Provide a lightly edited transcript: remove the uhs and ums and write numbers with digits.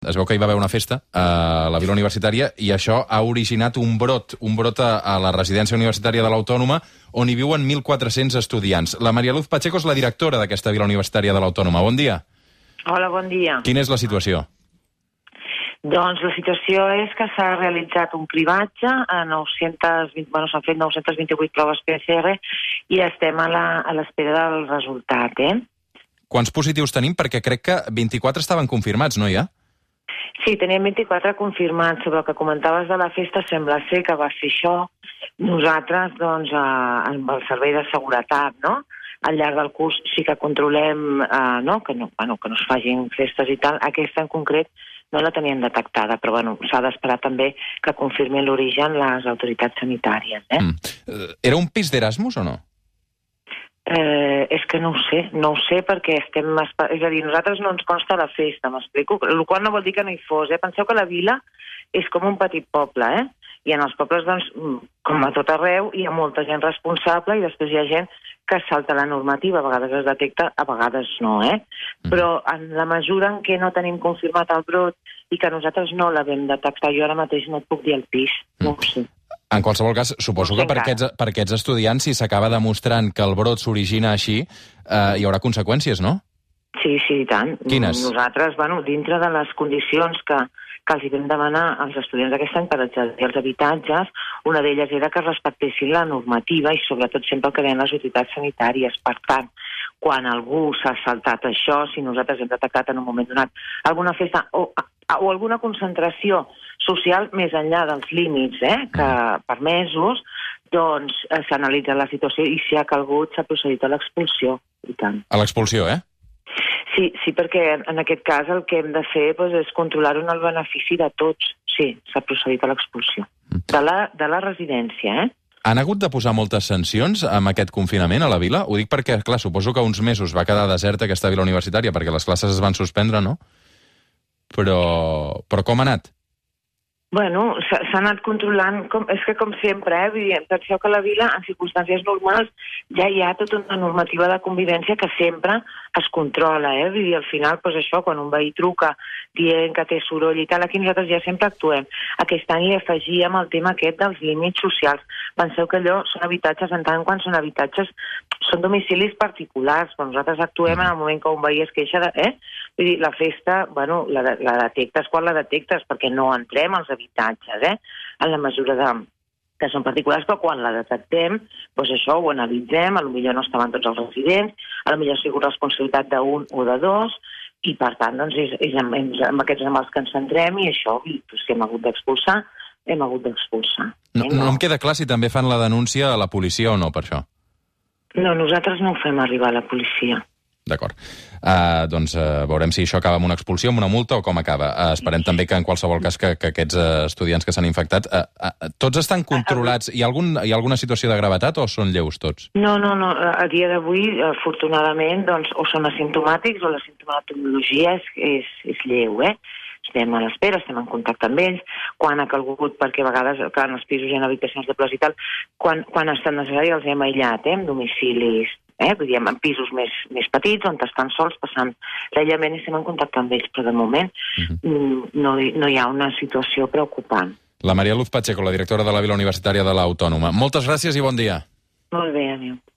Es veu que hi va haver una festa a la Vila Universitària i això ha originat un brot a la residència universitària de l'Autònoma on hi viuen 1.400 estudiants. La Maria Luz Pacheco és la directora d'aquesta Vila Universitària de l'Autònoma. Bon dia. Hola, bon dia. Quina és la situació? Doncs la situació és que s'ha realitzat un cribatge a 920, s'han fet 928 proves PCR i estem a l'espera del resultat, Quants positius tenim? Perquè crec que 24 estaven confirmats, no hi ha? Sí, teníem 24 confirmats. Sobre el que comentaves de la festa, sembla ser que va ser això. Nosaltres, doncs, amb el servei de seguretat, no?, al llarg del curs sí que controlem que no es facin festes i tal. Aquesta en concret no la teníem detectada, però s'ha d'esperar també que confirmin l'origen les autoritats sanitàries. Era un pis d'Erasmus o no? És que no ho sé perquè estem... És a dir, nosaltres no ens consta la festa, m'explico? El qual no vol dir que no hi fos, Penseu que la vila és com un petit poble, I en els pobles, doncs, com a tot arreu, hi ha molta gent responsable i després hi ha gent que salta la normativa. A vegades es detecta, a vegades no, Però en la mesura en què no tenim confirmat el brot i que nosaltres no l'havem detectat, jo ara mateix no et puc dir el pis, no ho sé. En qualsevol cas, suposo que per aquests estudiants, si s'acaba demostrant que el brot s'origina així, hi haurà conseqüències, no? Sí, i tant. Quines? Nosaltres, dintre de les condicions que els hi vam demanar als estudiants d'aquest any per accedir als habitatges, una d'elles era que respectessin la normativa i sobretot sempre el que deien les autoritats sanitàries. Per tant, quan algú s'ha saltat això, si nosaltres hem detectat en un moment donat alguna festa o alguna concentració social més enllà dels límits que permesos, doncs s'analitza la situació i si ha calgut s'ha procedit a l'expulsió. I tant. A l'expulsió, Sí, perquè en aquest cas el que hem de fer és controlar-ho en el benefici de tots. Sí, s'ha procedit a l'expulsió. De la residència, Han hagut de posar moltes sancions amb aquest confinament a la vila? Ho dic perquè, clar, suposo que uns mesos va quedar deserta aquesta vila universitària perquè les classes es van suspendre, no? Però com ha anat? S'ha anat controlant, és que com sempre, penseu que a la vila, en circumstàncies normals, ja hi ha tota una normativa de convivència que sempre es controla, Vull dir, al final, això, quan un veí truca dient que té soroll i tal, aquí nosaltres ja sempre actuem. Aquest any hi afegíem el tema aquest dels límits socials. Penseu que allò són habitatges, en tant quan són habitatges, són domicilis particulars, però nosaltres actuem en el moment que un veí es queixa de... Vull dir, la festa, la detectes quan la detectes, perquè no entrem als habitatges, en la mesura que són particulars, però quan la detectem, doncs això ho analitzem, potser no estaven tots els residents, potser ha sigut responsabilitat d'un o de dos, i per tant, doncs, és amb aquests amb els que ens centrem, i això, si hem hagut d'expulsar, hem hagut d'expulsar. No em queda clar si també fan la denúncia a la policia o no, per això. No, nosaltres no ho fem arribar a la policia. D'acord. Doncs veurem si això acaba amb una expulsió, amb una multa o com acaba. Esperem també que en qualsevol cas que aquests estudiants que s'han infectat tots estan controlats. Hi ha alguna situació de gravetat o són lleus tots? No. A dia d'avui, afortunadament, doncs, o són asimptomàtics o la simptomatologia és lleu, Estem a l'espera, estem en contacte amb ells, quan ha calgut, perquè a vegades, clar, en els pisos hi ha habitacions de plors i tal, quan ha estat necessari els hem aïllat, en domicilis, vull dir, en pisos més petits, on estan sols passant l'aïllament i estem en contacte amb ells, però de moment no hi ha una situació preocupant. La Maria Luz Pacheco, la directora de la Vila Universitària de l'Autònoma. Moltes gràcies i bon dia. Molt bé, adéu.